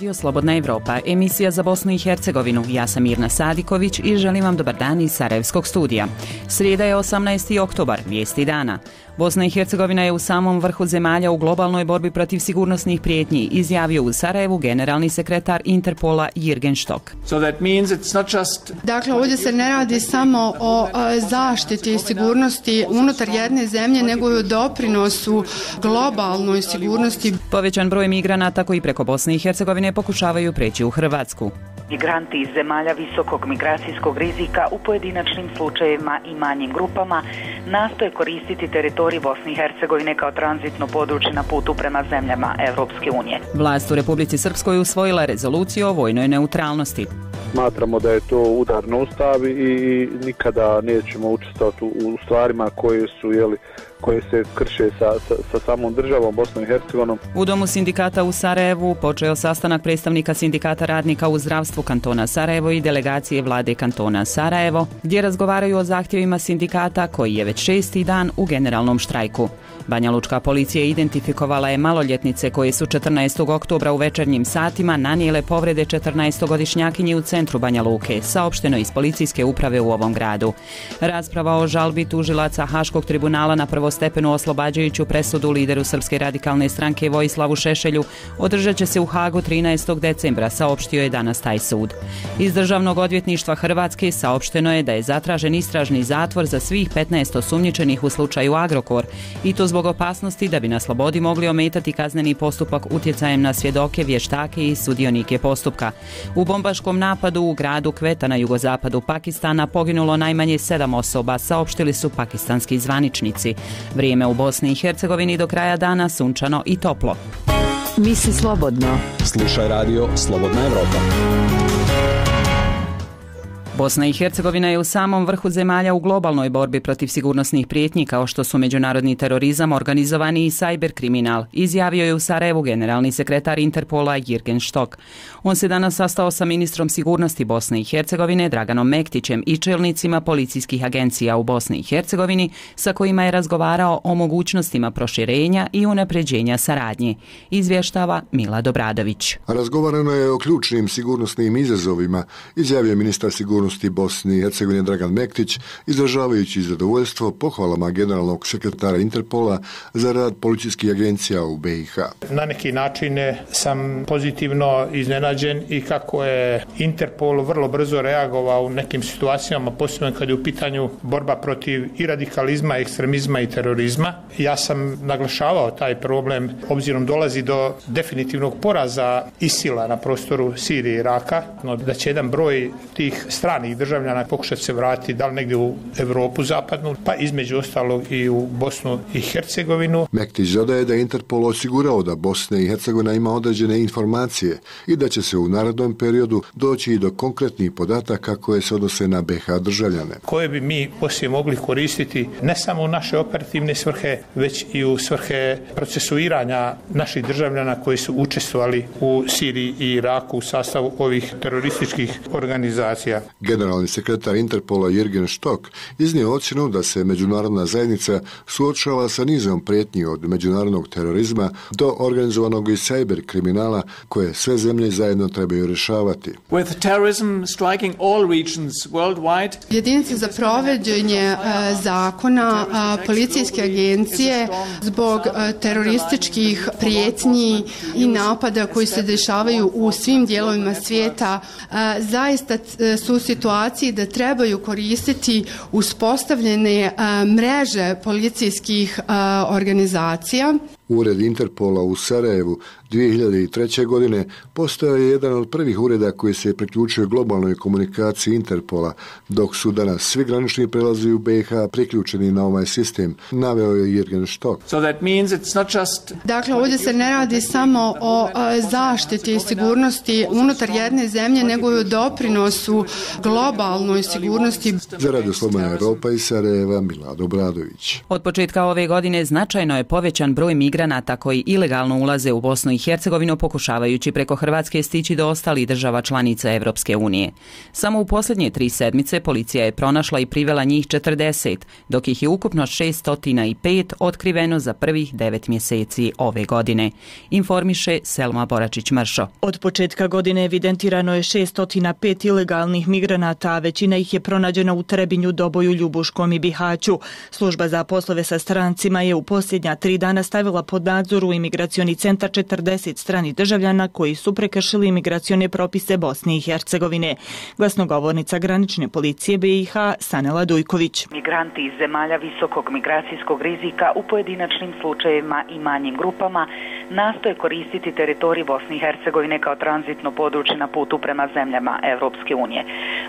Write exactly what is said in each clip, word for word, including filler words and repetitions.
Radio Slobodna Evropa, emisija za Bosnu i Hercegovinu. Ja sam Mirna Sadiković i želim vam dobar dan iz Sarajevskog studija. Srijeda je osamnaesti oktobar, vijesti dana. Bosna i Hercegovina je u samom vrhu zemalja u globalnoj borbi protiv sigurnosnih prijetnji, izjavio u Sarajevu generalni sekretar Interpola Jürgen Stock. So that means it's not just... Dakle, ovdje se ne radi samo o zaštiti i sigurnosti unutar jedne zemlje, nego i o doprinosu globalnoj sigurnosti. Povećan broj migranata koji preko Bosne i Hercegovine pokušavaju preći u Hrvatsku. Migranti iz zemalja visokog migracijskog rizika u pojedinačnim slučajevima i manjim grupama nastoje koristiti teritorij Bosne i Hercegovine kao tranzitno područje na putu prema zemljama Evropske unije. Vlast u Republici Srpskoj usvojila rezoluciju o vojnoj neutralnosti. Smatramo da je to udar na Ustav i nikada nećemo učestvovati u stvarima koje su, jeli, koje se krše sa, sa, sa samom državom Bosnom i Hercegovinom. U Domu sindikata u Sarajevu počeo sastanak predstavnika sindikata radnika u zdravstvu kantona Sarajevo i delegacije vlade kantona Sarajevo, gdje razgovaraju o zahtjevima sindikata koji je već šesti dan u generalnom štrajku. Banjalučka policija identifikovala je maloljetnice koje su četrnaestog oktobra u večernjim satima nanijele povrede četrnaestogodišnjakinji u centru Banja Luke, saopšteno iz policijske uprave u ovom gradu. Rasprava o žalbi tužilaca Haškog tribunala na prvostepenu oslobađajuću presudu lideru Srpske radikalne stranke Vojislavu Šešelju održat će se u Hagu trinaestog decembra, saopštio je danas taj sud. Iz Državnog odvjetništva Hrvatske saopšteno je da je zatražen istražni zatvor za svih petnaest osumnjičenih u slučaju Agrokor, i to zbog opasnosti da bi na slobodi mogli ometati kazneni postupak utjecajem na svjedoke, vještake i sudionike postupka. U bombaškom napadu u gradu Kveta na jugozapadu Pakistana poginulo najmanje sedam osoba, saopštili su pakistanski zvaničnici. Vrijeme u Bosni i Hercegovini do kraja dana sunčano i toplo. Misli slobodno. Slušaj radio Slobodna Evropa. Bosna i Hercegovina je u samom vrhu zemalja u globalnoj borbi protiv sigurnosnih prijetnji kao što su međunarodni terorizam, organizovani i sajber kriminal, izjavio je u Sarajevu generalni sekretar Interpola Jürgen Stock. On se danas sastao sa ministrom sigurnosti Bosne i Hercegovine Draganom Mektićem i čelnicima policijskih agencija u Bosni i Hercegovini sa kojima je razgovarao o mogućnostima proširenja i unapređenja saradnje, izvještava Mila Dobradović. Razgovarano je o ključnim sigurnosnim izazovima, izjavio ministar sigurnosti Bosne i Hercegovine Dragan Mektić, izražavajući zadovoljstvo pohvalama generalnog sekretara Interpola za rad policijskih agencija u B i H. Na neki način sam pozitivno iznenađen i kako je Interpol vrlo brzo reagovao u nekim situacijama, posebno kad je u pitanju borba protiv i radikalizma, ekstremizma i terorizma. Ja sam naglašavao taj problem obzirom dolazi do definitivnog poraza ISIL-a na prostoru Sirije i Iraka, no da će jedan broj tih stranih državljana pokušati se vratiti da li negdje u Europu zapadnu, pa između ostalog i u Bosnu i Hercegovinu. Mektić dodaje da je Interpol osigurao da Bosna i Hercegovina ima određene informacije i da će se u narednom periodu doći i do konkretnih podataka koje se odnose na B H državljane. Koje bi mi poslije mogli koristiti ne samo u naše operativne svrhe, već i u svrhe procesuiranja naših državljana koji su učestvovali u Siriji i Iraku u sastavu ovih terorističkih organizacija. Generalni sekretar Interpola Jürgen Stock iznio ocjenu da se međunarodna zajednica suočava sa nizom prijetnji od međunarodnog terorizma do organizovanog i sajber kriminala koje sve zemlje zajedno trebaju rješavati. With terrorism striking all regions worldwide, jedinice za provođenje uh, zakona, uh, policijske agencije zbog uh, terorističkih prijetnji i napada koji se dešavaju u svim dijelovima svijeta uh, zaista uh, su u situaciji da trebaju koristiti uspostavljene uh, mreže policijskih uh, organizacija. Ured Interpola u Sarajevu dvije hiljade treće. godine postao je jedan od prvih ureda koji se priključio globalnoj komunikaciji Interpola, dok su danas svi granični prelazi u B i H priključeni na ovaj sistem, naveo je Jürgen Stock. So that means it's not just... Dakle, ovdje se ne radi samo o uh, zaštiti i sigurnosti unutar jedne zemlje, nego i o doprinosu globalnoj sigurnosti. Za Radio Slobodna Evropa iz Sarajeva, Mila Dobradović. Od početka ove godine značajno je povećan broj migracija migranata koji ilegalno ulaze u Bosnu i Hercegovinu pokušavajući preko Hrvatske stići do ostalih država članica Evropske unije. Samo u posljednje tri sedmice policija je pronašla i privela njih četrdeset, dok ih je ukupno šessto pet otkriveno za prvih devet mjeseci ove godine, informiše Selma Boračić-Mršo. Od početka godine evidentirano je šessto pet ilegalnih migranata, a većina ih je pronađena u Trebinju, Doboju, Ljubuškom i Bihaću. Služba za poslove sa strancima je u posljednja tri dana stavila pod nadzor u imigracioni centar četrdeset stranih državljana koji su prekršili imigracione propise Bosne i Hercegovine. Glasnogovornica granične policije B i H Sanela Dujković. Migranti iz zemalja visokog migracijskog rizika u pojedinačnim slučajevima i manjim grupama nastoje koristiti teritorij Bosne i Hercegovine kao tranzitno područje na putu prema zemljama Evropske unije.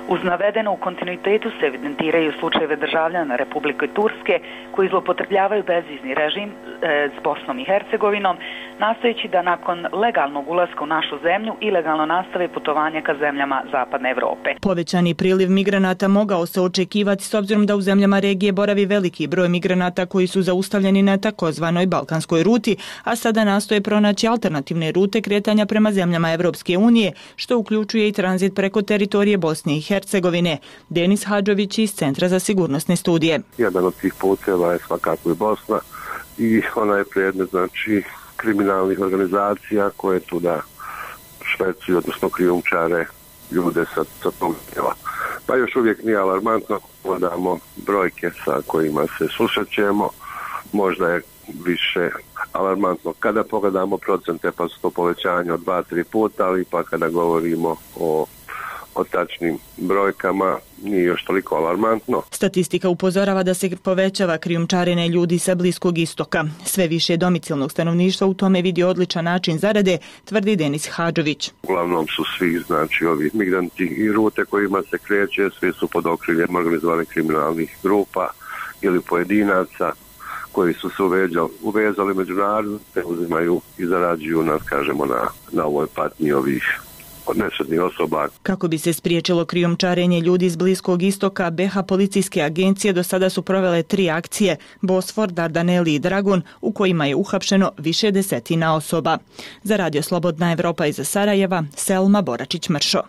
Uz navedeno, u kontinuitetu se evidentiraju slučajeve državljana Republike Turske koji zloupotrebljavaju bezvizni režim e, s Bosnom i Hercegovinom, nastojeći da nakon legalnog ulaska u našu zemlju ilegalno nastave putovanje ka zemljama Zapadne Evrope. Povećani priliv migranata mogao se očekivati s obzirom da u zemljama regije boravi veliki broj migranata koji su zaustavljeni na takozvanoj balkanskoj ruti, a sada nastoje pronaći alternativne rute kretanja prema zemljama Evropske unije, što uključuje i tranzit preko teritorije Bosne i Hercegovine. Denis Hadžović iz Centra za sigurnosne studije. Jedan od tih puteva je svakako i Bosna i ona je predmet, znači, kriminalnih organizacija koje tu da švercuju, odnosno krijumčare ljude sa, sa tog djela. Pa još uvijek nije alarmantno, pogledamo brojke sa kojima se susrećemo, možda je više alarmantno kada pogledamo procente, pa su to povećanje od dva do tri puta, ali pa kada govorimo o o tačnim brojkama nije još toliko alarmantno. Statistika upozorava da se povećava krijumčarenje ljudi sa Bliskog istoka. Sve više domicilnog stanovništva u tome vidi odličan način zarade, tvrdi Denis Hadžović. Uglavnom su svi, znači, ovi migranti i rute kojima se kreće, svi su pod okriljem organizovanih kriminalnih grupa ili pojedinaca koji su se uveđali, uvezali međunarodno, te uzimaju i zarađuju nas, kažemo, na, na ovoj patnji ovih odnesenih osoba. Kako bi se spriječilo krijumčarenje ljudi iz Bliskog istoka, B H policijske agencije do sada su provele tri akcije, Bosfor, Dardaneli i Dragon, u kojima je uhapšeno više desetina osoba. Za Radio Slobodna Evropa iz Sarajeva, Selma Boračić-Mršo.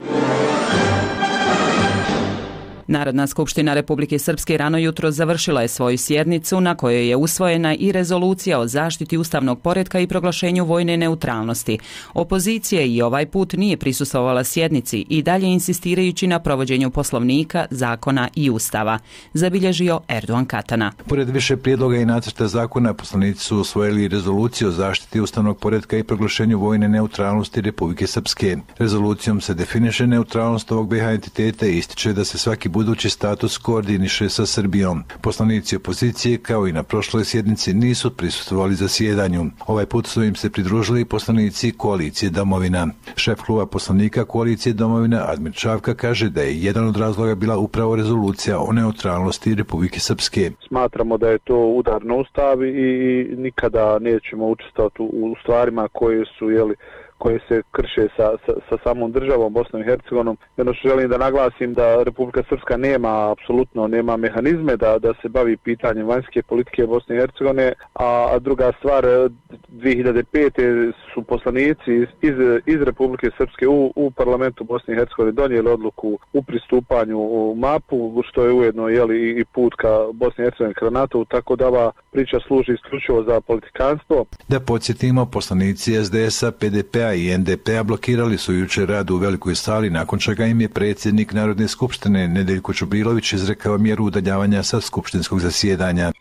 Narodna skupština Republike Srpske rano jutro završila je svoju sjednicu na kojoj je usvojena i rezolucija o zaštiti ustavnog poretka i proglašenju vojne neutralnosti. Opozicija i ovaj put nije prisustvovala sjednici i dalje insistirajući na provođenju poslovnika, zakona i ustava, zabilježio Erdogan Katana. Pored više prijedloga i nacrta zakona, poslanici su usvojili rezoluciju o zaštiti ustavnog poretka i proglašenju vojne neutralnosti Republike Srpske. Rezolucijom se definiše neutralnost ovog B H entiteta i ističe da se svaki budući status koordiniše sa Srbijom. Poslanici opozicije, kao i na prošloj sjednici, nisu prisustvovali zasjedanju. Ovaj put su im se pridružili poslanici koalicije Domovina. Šef kluba poslanika koalicije Domovina, Admir Čavka, kaže da je jedan od razloga bila upravo rezolucija o neutralnosti Republike Srpske. Smatramo da je to udar na Ustav i nikada nećemo učestvovati u stvarima koje su, jeli, koje se krše sa, sa, sa samom državom Bosnom i Hercegovinom. Jedno što želim da naglasim da Republika Srpska nema, apsolutno nema mehanizme da, da se bavi pitanjem vanjske politike Bosne i Hercegovine, a, a druga stvar, dvije hiljade pete su poslanici iz, iz, iz Republike Srpske u, u parlamentu Bosne i Hercegovine donijeli odluku u pristupanju u mapu, što je ujedno, jeli, i put ka Bosni i Hercegovini ka NATO, tako da ova priča služi isključivo za politikanstvo. Da podsjetimo, poslanici S D S-a, P D P-a i N D P-a blokirali su jučer rad u velikoj sali, nakon čega im je predsjednik Narodne skupštine Nedeljko Čubrilović izrekao mjeru udaljavanja sa skupštinskog zasjedanja.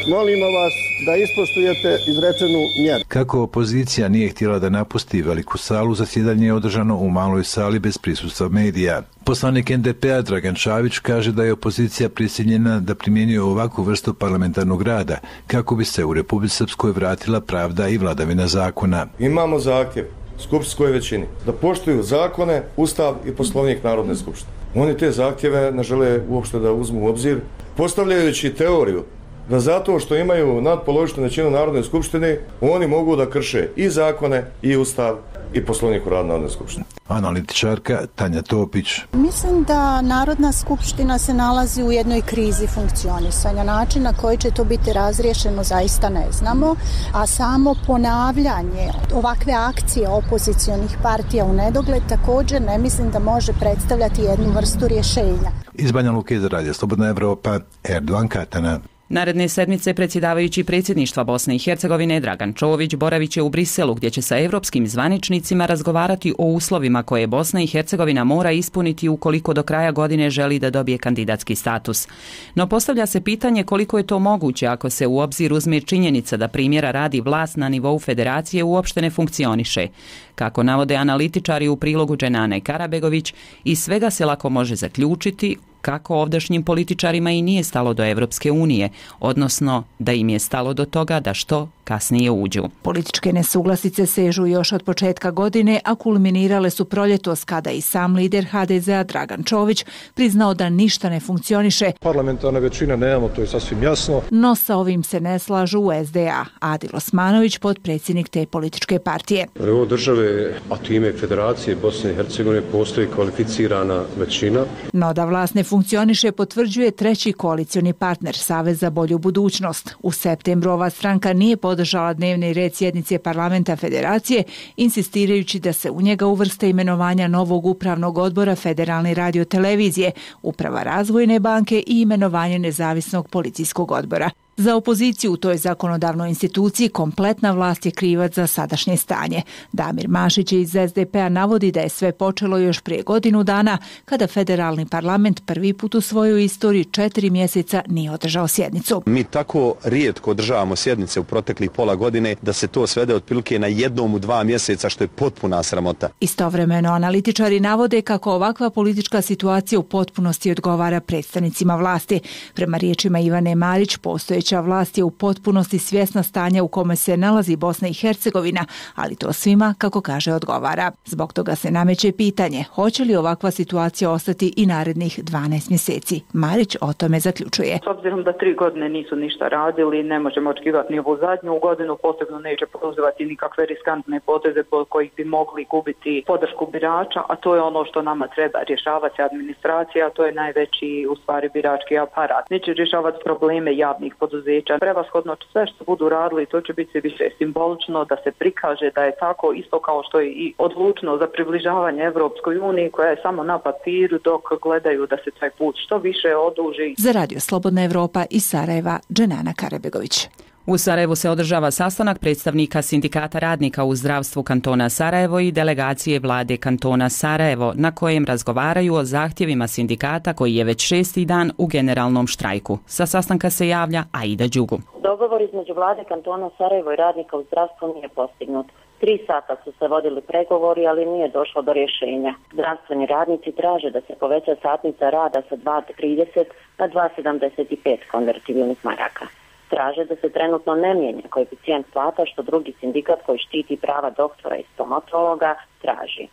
Molimo vas da ispoštujete izrečenu mjeru. Kako opozicija nije htjela da napusti veliku salu, zasjedanje je održano u maloj sali bez prisustva medija. Poslanik N D P-a Dragan Čavić kaže da je opozicija prisiljena da primjenjuje ovakvu vrstu parlamentarnog rada kako bi se u Republici Srpskoj vratila pravda i vladavina zakona. Imamo zahtjev skupštinskoj većini da poštuju zakone, ustav i poslovnik Narodne skupštine. Oni te zahtjeve ne žele uopšte da uzmu u obzir, postavljajući teoriju da zato što imaju nadpolovičnu većinu Narodne skupštine, oni mogu da krše i zakone i ustav i Poslovnik o radu Narodne skupštine. Analitičarka Tanja Topić. Mislim da Narodna skupština se nalazi u jednoj krizi funkcionisanja. Način na koji će to biti razriješeno zaista ne znamo, a samo ponavljanje ovakve akcije opozicionih partija u nedogled također ne mislim da može predstavljati jednu vrstu rješenja. Iz Banja Luke za Radio Slobodna Evropa, Erdogan Katana. Naredne sedmice predsjedavajući predsjedništva Bosne i Hercegovine Dragan Čović boravit će u Briselu gdje će sa europskim zvaničnicima razgovarati o uslovima koje Bosna i Hercegovina mora ispuniti ukoliko do kraja godine želi da dobije kandidatski status. No postavlja se pitanje koliko je to moguće ako se u obzir uzme činjenica da primjera radi vlast na nivou federacije uopšte ne funkcioniše. Kako navode analitičari u prilogu Dženane Karabegović, iz svega se lako može zaključiti kako ovdašnjim političarima i nije stalo do Evropske unije, odnosno da im je stalo do toga da što kasnije uđu. Političke nesuglasice sežu još od početka godine, a kulminirale su proljetos kada i sam lider ha de zea Dragan Čović priznao da ništa ne funkcioniše. Parlamentarne većine nemamo, to je sasvim jasno. No sa ovim se ne slažu u es de a. Adil Osmanović, potpredsjednik te političke partije. U ovoj države, a time Federacije Bosne i Hercegovine, postoji kvalificirana većina. No da vlast ne funkcioniše potvrđuje treći koalicioni partner Savez za bolju budućnost. U septembru ova stranka nije podržala dnevni red sjednice parlamenta federacije, insistirajući da se u njega uvrste imenovanja novog upravnog odbora Federalne radiotelevizije, uprava Razvojne banke i imenovanje nezavisnog policijskog odbora. Za opoziciju u toj zakonodavnoj instituciji kompletna vlast je krivac za sadašnje stanje. Damir Mašić iz es de pe a navodi da je sve počelo još prije godinu dana kada federalni parlament prvi put u svojoj istoriji četiri mjeseca nije održao sjednicu. Mi tako rijetko održavamo sjednice u proteklih pola godine da se to svede otprilike na jednom u dva mjeseca, što je potpuna sramota. Istovremeno analitičari navode kako ovakva politička situacija u potpunosti odgovara predstavnicima vlasti. Prema riječima Ivane Marić, postojeći vlast je u potpunosti svjesna stanja u kome se nalazi Bosna i Hercegovina, ali to svima, kako kaže, odgovara. Zbog toga se nameće pitanje, hoće li ovakva situacija ostati i narednih dvanaest mjeseci. Marić o tome zaključuje. S obzirom da tri godine nisu ništa radili, ne možemo očekivati ni ovu zadnju godinu, posebno neće poduzimati nikakve riskantne poteze po kojih bi mogli gubiti podršku birača, a to je ono što nama treba rješavati administracija, a to je najveći u stvari birački aparat. Neće rješavati probleme javnih poduzeća. Prevashodno sve što budu radili, to će biti više simbolično, da se prikaže da je tako, isto kao što je i odlučno za približavanje Evropskoj uniji koja je samo na papiru, dok gledaju da se taj put što više oduži. Za Radio Slobodna Evropa iz Sarajeva, Dženana Karabegović. U Sarajevu se održava sastanak predstavnika Sindikata radnika u zdravstvu kantona Sarajevo i delegacije vlade kantona Sarajevo, na kojem razgovaraju o zahtjevima sindikata koji je već šesti dan u generalnom štrajku. Sa sastanka se javlja Aida Đugu. Dogovor između vlade kantona Sarajevo i radnika u zdravstvu nije postignut. Tri sata su se vodili pregovori, ali nije došlo do rješenja. Zdravstveni radnici traže da se poveća satnica rada sa dva trideset na dva sedamdeset pet konvertibilnih maraka. Traže da se trenutno ne mijenja koeficijent plata, što drugi sindikat koji štiti prava doktora i stomatologa traži.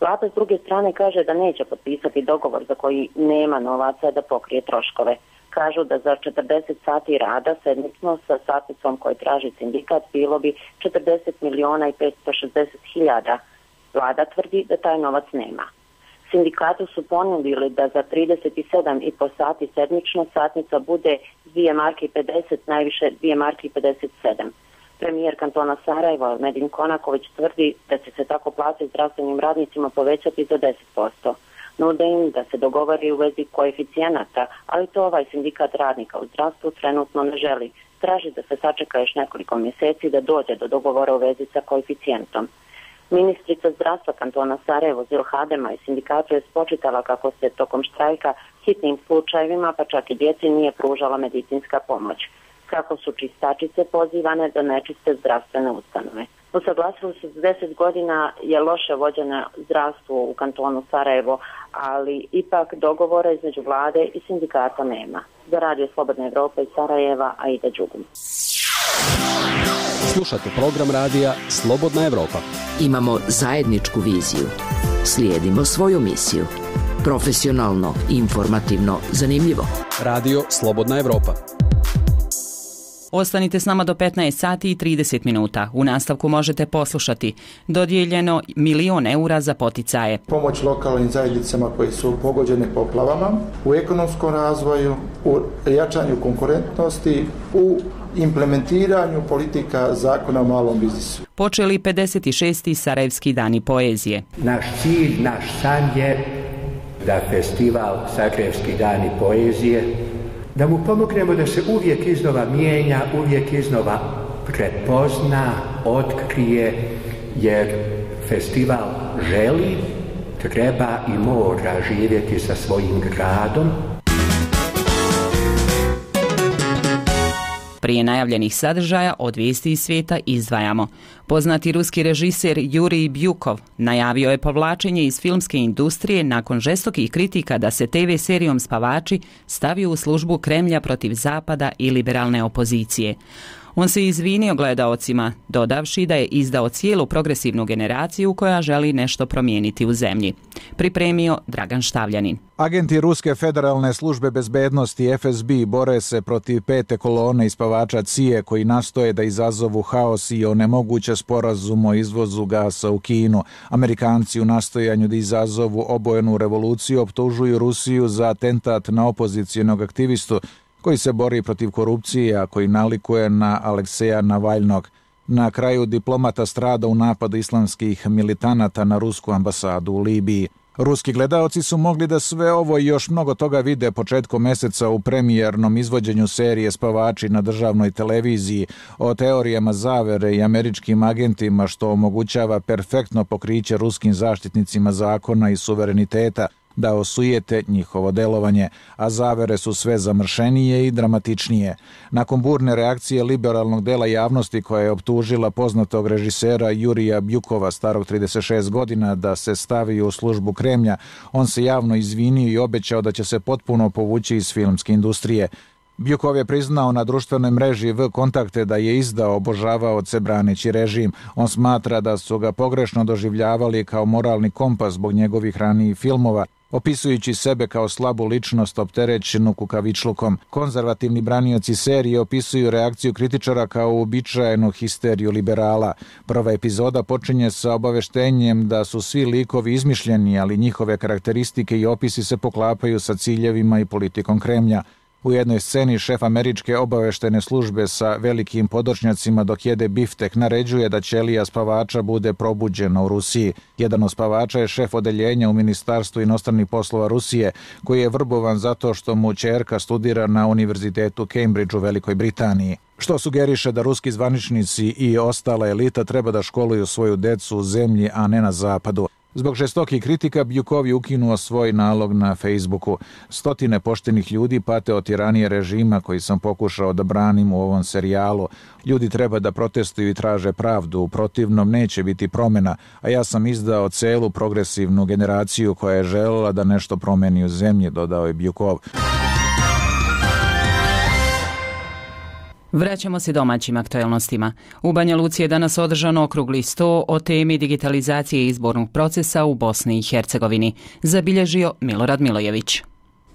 Vlada s druge strane kaže da neće potpisati dogovor za koji nema novaca da pokrije troškove. Kažu da za četrdeset sati rada sedmično sa satnicom koju traži sindikat bilo bi četrdeset miliona i petsto šezdeset hiljada. Vlada tvrdi da taj novac nema. Sindikatu su ponudili da za trideset sedam i po sati sedmično satnica bude dvije marke i pedeset, najviše dvije marke i pedeset sedam. Premijer kantona Sarajeva, Medin Konaković, tvrdi da će se tako plate zdravstvenim radnicima povećati za deset posto. Nude im da se dogovori u vezi koeficijenata, ali to ovaj sindikat radnika u zdravstvu trenutno ne želi. Traži da se sačeka još nekoliko mjeseci da dođe do dogovora u vezi sa koeficijentom. Ministrica zdravstva kantona Sarajevo Zil Hadema i sindikatu je spočitala kako se tokom štrajka hitnim slučajevima, pa čak i djeci, nije pružala medicinska pomoć. Kako su čistačice pozivane da nečiste zdravstvene ustanove. Usaglasili su deset godina je loše vođeno zdravstvo u kantonu Sarajevo, ali ipak dogovora između vlade i sindikata nema. Za Radio Slobodna Evropa iz Sarajeva, Aida Đugum. Slušate program radija Slobodna Evropa. Imamo zajedničku viziju. Slijedimo svoju misiju. Profesionalno, informativno, zanimljivo. Radio Slobodna Evropa. Ostanite s nama do petnaest sati i trideset minuta. U nastavku možete poslušati dodijeljeno milion eura za poticaje. Pomoć lokalnim zajednicama koji su pogođene poplavama, u ekonomskom razvoju, u jačanju konkurentnosti, u implementiranju politika zakona o malom biznisu. Počeli pedeset šesti Sarajevski dani poezije. Naš cilj, naš san je da festival Sarajevski dani poezije, da mu pomognemo da se uvijek iznova mijenja, uvijek iznova prepozna, otkrije, jer festival želi, treba i mora živjeti sa svojim gradom. Prije najavljenih sadržaja od vijesti iz svijeta izdvajamo. Poznati ruski režiser Jurij Bjukov najavio je povlačenje iz filmske industrije nakon žestokih kritika da se te ve serijom Spavači stavi u službu Kremlja protiv Zapada i liberalne opozicije. On se izvinio gledaocima, dodavši da je izdao cijelu progresivnu generaciju koja želi nešto promijeniti u zemlji. Pripremio Dragan Štavljanin. Agenti Ruske federalne službe bezbednosti F S B bore se protiv pete kolone ispavača C I E koji nastoje da izazovu haos i onemoguće sporazum o izvozu gasa u Kinu. Amerikanci u nastojanju da izazovu obojenu revoluciju optužuju Rusiju za atentat na opozicijenog aktivistu koji se bori protiv korupcije, a koji nalikuje na Alekseja Navalnog. Na kraju diplomata strada u napadu islamskih militanata na rusku ambasadu u Libiji. Ruski gledaoci su mogli da sve ovo i još mnogo toga vide početkom meseca u premijernom izvođenju serije Spavači na državnoj televiziji o teorijama zavere i američkim agentima što omogućava perfektno pokriće ruskim zaštitnicima zakona i suvereniteta da osujete njihovo delovanje, a zavere su sve zamršenije i dramatičnije. Nakon burne reakcije liberalnog dela javnosti koja je optužila poznatog režisera Jurija Bjukova starog trideset šest godina da se stavi u službu Kremlja, on se javno izvinio i obećao da će se potpuno povući iz filmske industrije. Bjukov je priznao na društvenoj mreži V Kontakte da je izdao obožavaoce braneći režim. On smatra da su ga pogrešno doživljavali kao moralni kompas zbog njegovih ranijih filmova, opisujući sebe kao slabu ličnost opterećenu kukavičlukom. Konzervativni branioci serije opisuju reakciju kritičara kao uobičajenu histeriju liberala. Prva epizoda počinje sa obaveštenjem da su svi likovi izmišljeni, ali njihove karakteristike i opisi se poklapaju sa ciljevima i politikom Kremlja. U jednoj sceni šef američke obaveštene službe sa velikim podočnjacima dok jede biftek naređuje da ćelija spavača bude probuđena u Rusiji. Jedan od spavača je šef odeljenja u Ministarstvu inostranih poslova Rusije, koji je vrbovan zato što mu ćerka studira na Univerzitetu Cambridge u Velikoj Britaniji. Što sugeriše da ruski zvaničnici i ostala elita treba da školuju svoju decu u zemlji, a ne na zapadu. Zbog žestokih kritika Bjukov je ukinuo svoj nalog na Facebooku. Stotine poštenih ljudi pate od tiranije režima koji sam pokušao da branim u ovom serijalu. Ljudi treba da protestuju i traže pravdu, u protivnom neće biti promjena, a ja sam izdao celu progresivnu generaciju koja je željela da nešto promeni u zemlji, dodao je Bjukov. Vraćamo se domaćim aktualnostima. U Banja Luci je danas održan okrugli sto o temi digitalizacije izbornog procesa u Bosni i Hercegovini, zabilježio Milorad Milojević.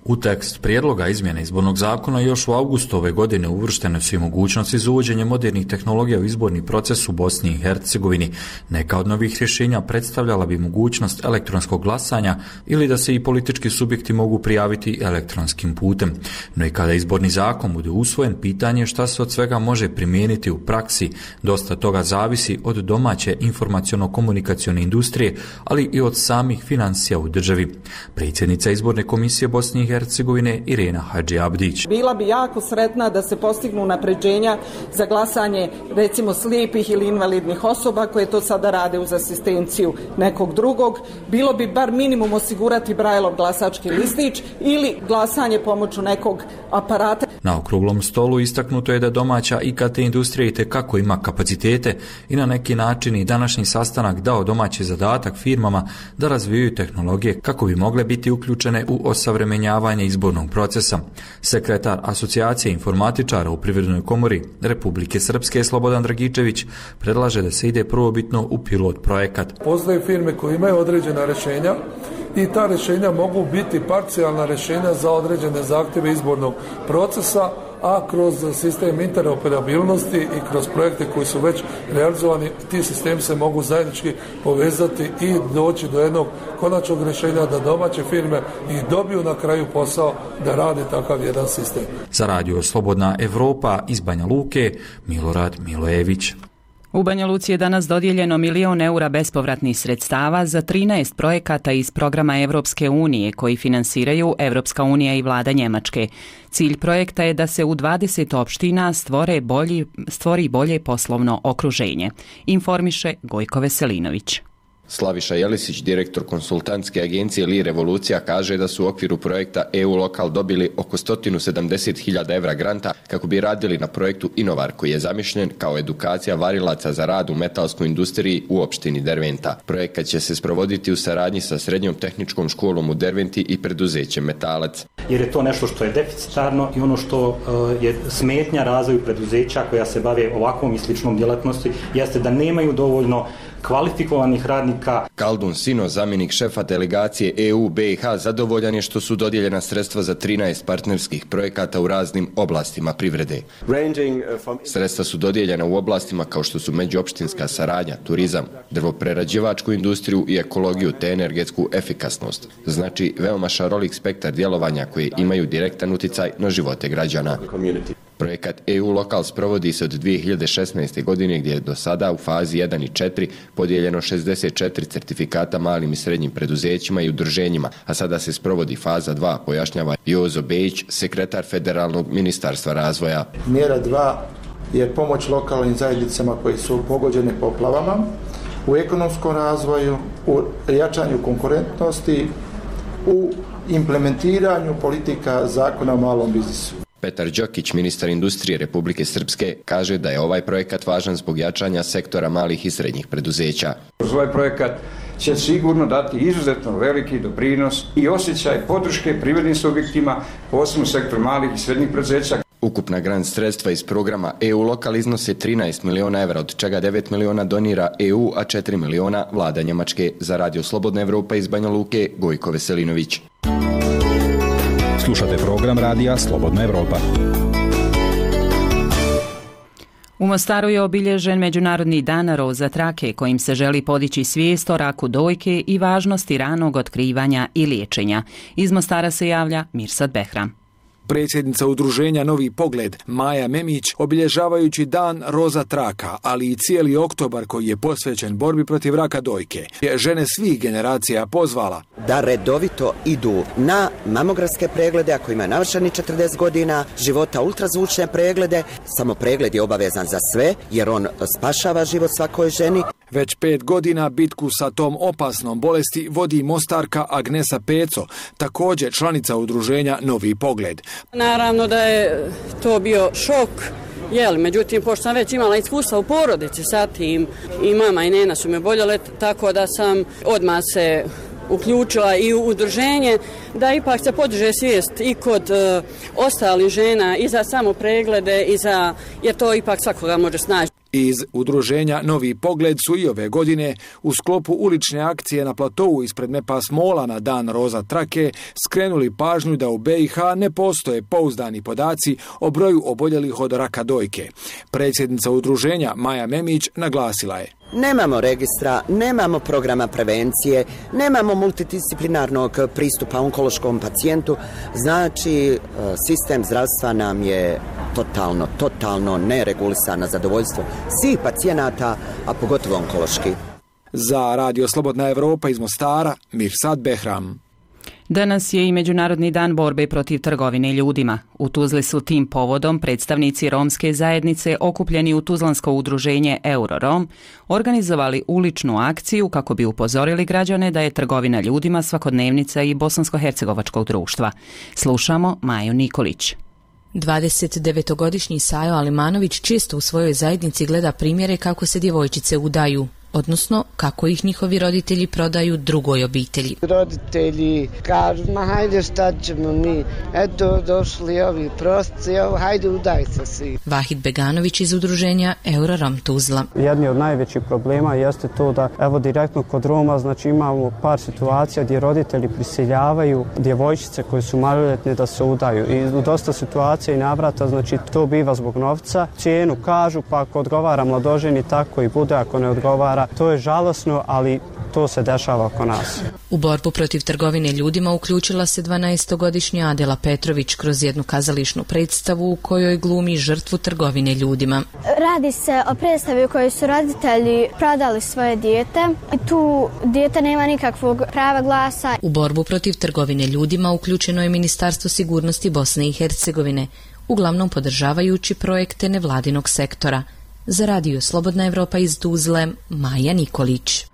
U tekst prijedloga izmjene izbornog zakona još u avgustu ove godine uvrštene su i mogućnosti za uvođenje modernih tehnologija u izborni proces u Bosni i Hercegovini. Neka od novih rješenja predstavljala bi mogućnost elektronskog glasanja ili da se i politički subjekti mogu prijaviti elektronskim putem. No i kada izborni zakon bude usvojen, pitanje šta se od svega može primijeniti u praksi. Dosta toga zavisi od domaće informaciono-komunikacione industrije, ali i od samih financija u državi. Predsjednica izborne komisije Bosne i Hercegovine Irena Hadži Abdić. Bila bi jako sretna da se postignu unapređenja za glasanje recimo slijepih ili invalidnih osoba koje to sada rade uz asistenciju nekog drugog. Bilo bi bar minimum osigurati Braillov glasački listić ili glasanje pomoću nekog aparata. Na okruglom stolu istaknuto je da domaća I K T industrija itekako ima kapacitete i na neki način i današnji sastanak dao domaći zadatak firmama da razvijaju tehnologije kako bi mogle biti uključene u osavremenjavanje izbornog procesa. Sekretar Asocijacije informatičara u Privrednoj komori Republike Srpske Slobodan Dragičević predlaže da se ide prvobitno u pilot projekat. Postoje firme koje imaju određena rješenja i ta rješenja mogu biti parcijalna rješenja za određene zahtjeve izbornog procesa, a kroz sistem interoperabilnosti i kroz projekte koji su već realizovani, ti sistemi se mogu zajednički povezati i doći do jednog konačnog rješenja da domaće firme i dobiju na kraju posao da rade takav jedan sistem. Za radio Slobodna Evropa iz Banja Luke, Milorad Milojević. U Banja Luci je danas dodijeljeno milion eura bespovratnih sredstava za trinaest projekata iz programa Evropske unije koji finansiraju Evropska unija i vlada Njemačke. Cilj projekta je da se u dvadeset opština stvore bolji, stvori bolje poslovno okruženje, informiše Gojko Veselinović. Slaviša Jelisić, direktor konsultantske agencije Li Revolucija, kaže da su u okviru projekta E U Lokal dobili oko sto sedamdeset hiljada evra granta kako bi radili na projektu Inovar, koji je zamišljen kao edukacija varilaca za rad u metalskoj industriji u opštini Derventa. Projekat će se sprovoditi u saradnji sa Srednjom tehničkom školom u Derventi i preduzećem Metalac. Jer je to nešto što je deficitarno i ono što uh, je smetnja razvoju preduzeća koja se bave ovakvom i sličnom djelatnosti, jeste da nemaju dovoljno kvalifikovanih radnika. Kaldun Sino, zamjenik šefa delegacije E U B i H, zadovoljan je što su dodijeljena sredstva za trinaest partnerskih projekata u raznim oblastima privrede. Sredstva su dodijeljena u oblastima kao što su međuopštinska saradnja, turizam, drvoprerađivačku industriju i ekologiju te energetsku efikasnost. Znači veoma šarolik spektar djelovanja koje imaju direktan uticaj na živote građana. Projekat E U Lokal sprovodi se od dvije hiljade šesnaeste. godine gdje je do sada u fazi jedan i četiri podijeljeno šezdeset četiri certifikata malim i srednjim preduzećima i udruženjima, a sada se sprovodi faza dva, pojašnjava Jozo Bejić, sekretar Federalnog ministarstva razvoja. Mjera dva je pomoć lokalnim zajednicama koji su pogođene poplavama, u ekonomskom razvoju, u jačanju konkurentnosti, u implementiranju politika zakona o malom biznisu. Petar Đokić, ministar industrije Republike Srpske, kaže da je ovaj projekat važan zbog jačanja sektora malih i srednjih preduzeća. Ovaj projekat će sigurno dati izuzetno veliki doprinos i osjećaj podrške privrednim subjektima, posebno sektor malih i srednjih preduzeća. Ukupna grant sredstva iz programa E U Lokal iznose trinaest miliona evra, od čega devet miliona donira E U, a četiri miliona vlada Njemačke. Za radio Slobodna Evropa iz Banja Luke, Gojko Veselinović. Slušate program radija Slobodna Evropa. U Mostaru je obilježen Međunarodni dan roza trake kojim se želi podići svijest o raku dojke i važnosti ranog otkrivanja i liječenja. Iz Mostara se javlja Mirsad Behram. Predsjednica udruženja Novi pogled Maja Memić, obilježavajući dan roza traka, ali i cijeli oktobar koji je posvećen borbi protiv raka dojke, je žene svih generacija pozvala da redovito idu na mamografske preglede ako imaju navršeni četrdeset godina, života ultrazvučne preglede. Samo pregled je obavezan za sve jer on spašava život svakoj ženi. Već pet godina bitku sa tom opasnom bolesti vodi Mostarka Agnesa Peco, također članica udruženja Novi pogled. Naravno da je to bio šok, jel, međutim, pošto sam već imala iskustva u porodici sa tim, i mama i nena su me boljele, tako da sam odmah se uključila i u udruženje da ipak se podiže svijest i kod uh, ostalih žena i za samo preglede i za, jer to ipak svakoga može snaći. Iz udruženja Novi pogled su i ove godine u sklopu ulične akcije na platovu ispred Mepas Mola na dan roza trake skrenuli pažnju da u B i H ne postoje pouzdani podaci o broju oboljelih od raka dojke. Predsjednica udruženja Maja Memić naglasila je: Nemamo registra, nemamo programa prevencije, nemamo multidisciplinarnog pristupa onkološkom pacijentu, znači sistem zdravstva nam je totalno, totalno neregulisan na zadovoljstvo svih pacijenata, a pogotovo onkološki. Za radio Slobodna Evropa iz Mostara, Mirsad Behram. Danas je i Međunarodni dan borbe protiv trgovine ljudima. U Tuzli su tim povodom predstavnici romske zajednice okupljeni u tuzlansko udruženje Eurorom organizovali uličnu akciju kako bi upozorili građane da je trgovina ljudima svakodnevnica i bosansko-hercegovačkog društva. Slušamo Maju Nikolić. dvadesetdevetogodišnji Sajo Alimanović često u svojoj zajednici gleda primjere kako se djevojčice udaju. odnosno kako ih njihovi roditelji prodaju drugoj obitelji. Roditelji kažu, ma hajde šta ćemo mi, eto došli ovi prosci, hajde udaj se svi. Vahid Beganović iz udruženja Eurorom Tuzla. Jedni od najvećih problema jeste to da evo direktno kod Roma znači imamo par situacija gdje roditelji prisiljavaju djevojčice koje su maloljetne da se udaju i u dosta situacija i navrata znači to biva zbog novca, cijenu kažu pa ako odgovara mladoženi tako i bude, ako ne odgovara to je žalosno, ali to se dešava oko nas. U borbu protiv trgovine ljudima uključila se dvanaestogodišnja Adela Petrović kroz jednu kazališnu predstavu u kojoj glumi žrtvu trgovine ljudima. Radi se o predstavi u kojoj su roditelji prodali svoje dijete i tu dijete nema nikakvog prava glasa. U borbu protiv trgovine ljudima uključeno je Ministarstvo sigurnosti Bosne i Hercegovine, uglavnom podržavajući projekte nevladinog sektora. Za radio Slobodna Evropa iz Tuzle, Maja Nikolić.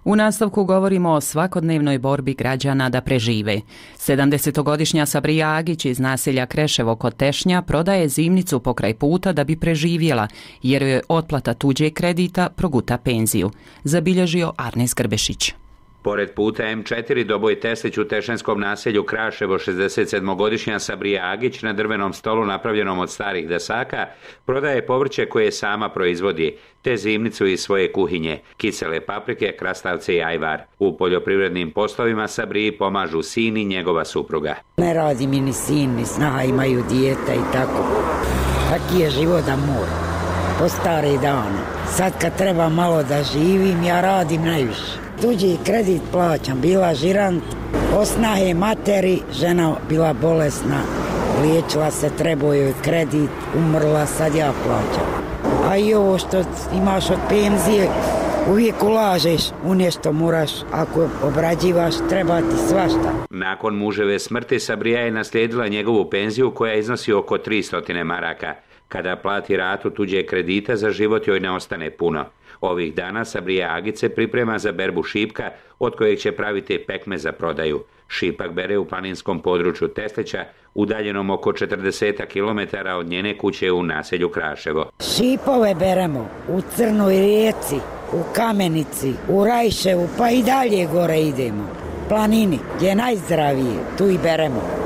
U nastavku govorimo o svakodnevnoj borbi građana da prežive. sedamdesetogodišnja Sabrija Agić iz naselja Kreševo kod Tešnja prodaje zimnicu pokraj puta da bi preživjela, jer joj otplata tuđeg kredita proguta penziju. Zabilježio Arnes Grbešić. Pored puta em četiri Doboj Teslić u tešenskom naselju Kraševo šezdesetsedmogodišnja Sabrija Agić na drvenom stolu napravljenom od starih desaka prodaje povrće koje sama proizvodi, te zimnicu iz svoje kuhinje, kisele paprike, krastavce i ajvar. U poljoprivrednim poslovima Sabriji pomažu sin i njegova supruga. Ne radi mi ni sin, ni snaha, imaju dijete i tako. Taki je život da mora, po stare dane. Sad kad treba malo da živim, ja radim najviše. Tuđi kredit plaćam, bila žirant, osnahe materi, žena bila bolesna, liječila se, trebao joj kredit, umrla, sad ja plaćam. A i ovo što imaš od penzije, uvijek ulažeš u nešto, moraš, ako obrađivaš, treba ti svašta. Nakon muževe smrti Sabrija je naslijedila njegovu penziju koja iznosi oko tristo maraka. Kada plati ratu tuđe kredita, za život joj ne ostane puno. Ovih dana Sabrija Agić se priprema za berbu šipka, od kojeg će praviti pekme za prodaju. Šipak bere u planinskom području Teslića, udaljenom oko četrdeset kilometara od njene kuće u naselju Kraševo. Šipove beremo u Crnoj rijeci, u Kamenici, u Rajševu, pa i dalje gore idemo. Planini, gdje je najzdravije, tu i beremo.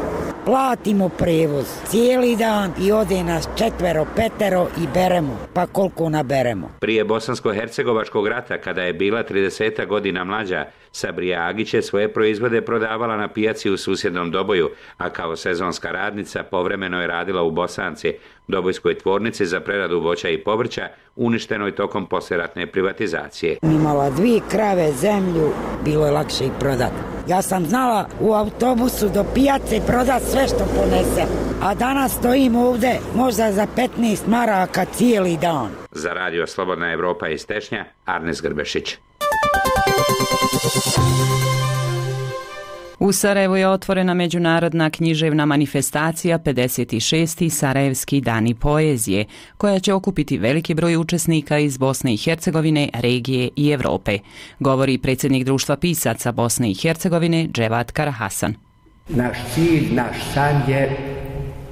Platimo prevoz cijeli dan i ode nas četvero, petero i beremo, pa koliko naberemo. Prije Bosansko-hercegovačkog rata, kada je bila trideset godina mlađa, Sabrija Agić je svoje proizvode prodavala na pijaci u susjednom Doboju, a kao sezonska radnica povremeno je radila u Bosanci, Dobojskoj tvornici za preradu voća i povrća, uništenoj tokom poslijeratne privatizacije. Imala dvije krave, zemlju, bilo je lakše i prodati. Ja sam znala u autobusu do pijace prodati sve što ponesem, a danas stojim ovdje možda za petnaest maraka cijeli dan. Za radio Slobodna Evropa iz Tešnja, Arnes Grbešić. U Sarajevu je otvorena međunarodna književna manifestacija pedeset šesti Sarajevski dani poezije, koja će okupiti veliki broj učesnika iz Bosne i Hercegovine, regije i Europe, govori predsjednik Društva pisaca Bosne i Hercegovine Dževat Karahasan. Naš cilj, naš san je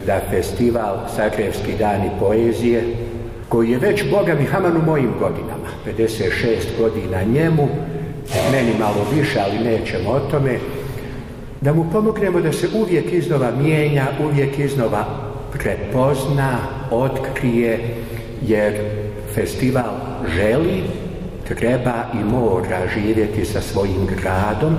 da festival Sarajevski dani poezije, koji je već, Boga mi, haman u mojim godinama, pedeset šest godina njemu, meni malo više, ali nećemo o tome, da mu pomognemo da se uvijek iznova mijenja, uvijek iznova prepozna, otkrije, jer festival želi, treba i mora živjeti sa svojim gradom.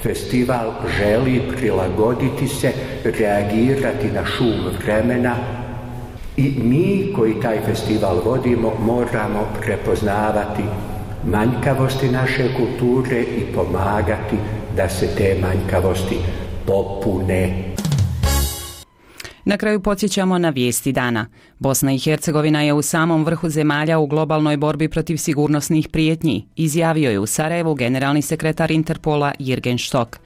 Festival želi prilagoditi se, reagirati na šum vremena i mi koji taj festival vodimo moramo prepoznavati manjkavosti naše kulture i pomagati da se te manjkavosti popune. Na kraju podsjećamo na vijesti dana. Bosna i Hercegovina je u samom vrhu zemalja u globalnoj borbi protiv sigurnosnih prijetnji, izjavio je u Sarajevu generalni sekretar Interpola Jirgen Štok.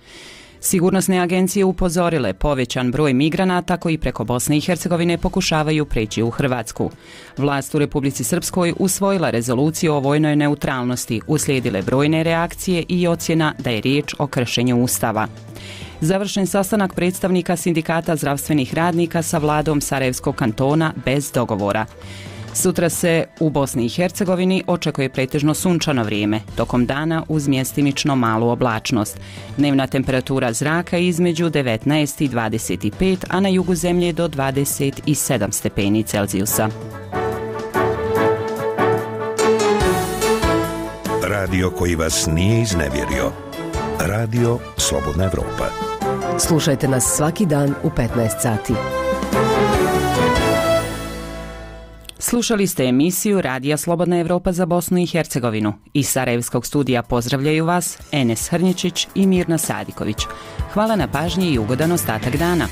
Sigurnosne agencije upozorile povećan broj migranata koji preko Bosne i Hercegovine pokušavaju preći u Hrvatsku. Vlast u Republici Srpskoj usvojila rezoluciju o vojnoj neutralnosti, uslijedile brojne reakcije i ocjena da je riječ o kršenju Ustava. Završen sastanak predstavnika sindikata zdravstvenih radnika sa vladom Sarajevskog kantona bez dogovora. Sutra se u Bosni i Hercegovini očekuje pretežno sunčano vrijeme, tokom dana uz mjestimično malu oblačnost. Dnevna temperatura zraka između devetnaest i dvadeset pet, a na jugu zemlje do dvadeset sedam stepeni Celzijusa. Radio koji vas nije iznevjerio. Radio Slobodna Evropa. Slušajte nas svaki dan u petnaest sati. Slušali ste emisiju Radija Slobodna Evropa za Bosnu i Hercegovinu. Iz Sarajevskog studija pozdravljaju vas Enes Hrnječić i Mirna Sadiković. Hvala na pažnji i ugodan ostatak dana.